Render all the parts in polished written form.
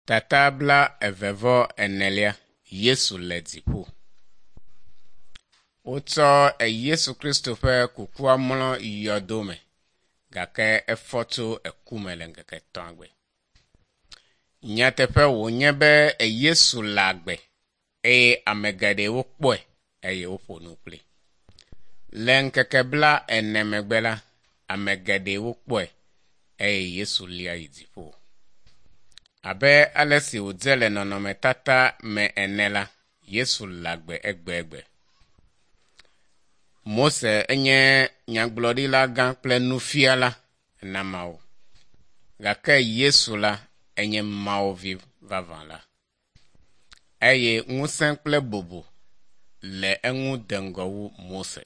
Tata bla eve vɔ enelia Yesu le dziƒo. Wotsɔ Yesu Kristo ƒe kukua mlɔ yɔdo me gake efɔ tso eku me le ŋkeke etɔ̃a gbe. Nyateƒe wònye be Yesu le agbe eye ame geɖewo kpɔe eye woƒo nu kpli. Le ŋkeke bla ene megbe la, ame geɖewo kpɔe eye Yesu lia yi dziƒo. Abe ale si wòdze le nɔnɔmetata me ene la, Yesu le agbe egbegbe. Mose enye nyagblɔɖila gã kple nufiala na Mawu. Gake Yesu la enye Mawu vi vavã la. Eye ŋusẽ kple bubu le eŋu de ŋgɔ wu Mose.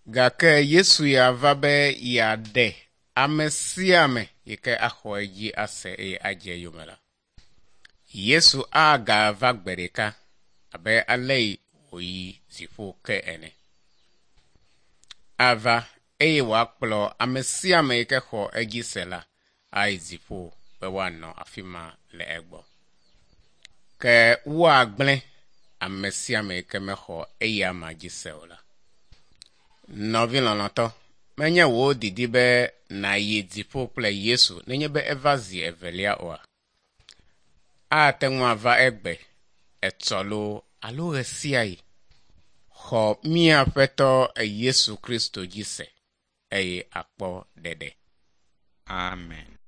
Gake Yesu ya va be yeaɖe ame sia ame yi ke axɔ edzi ase eye adze eyome la. Yesu agava gbe ɖeka abe ale yi wòyi dziƒo ke ene. Ava eye wòakplɔ ame sia ame yi ke xɔ edzi se la ayi dziƒo be woanɔ afi ma le egbɔ. Ke woagblẽ ame sia ame yi ke mexɔ eya ma dzi se o la. Nɔvi lɔlɔ̃tɔ, menye wò didi be nàyi dziƒo kple Yesu nenye be eva zi evelia oa? Ate ŋu ava egbe, etsɔ loo alo ɣe sia ɣi. Xɔ mía Aƒetɔ Yesu Kristo dzi se eye akpɔ ɖeɖe. Amen.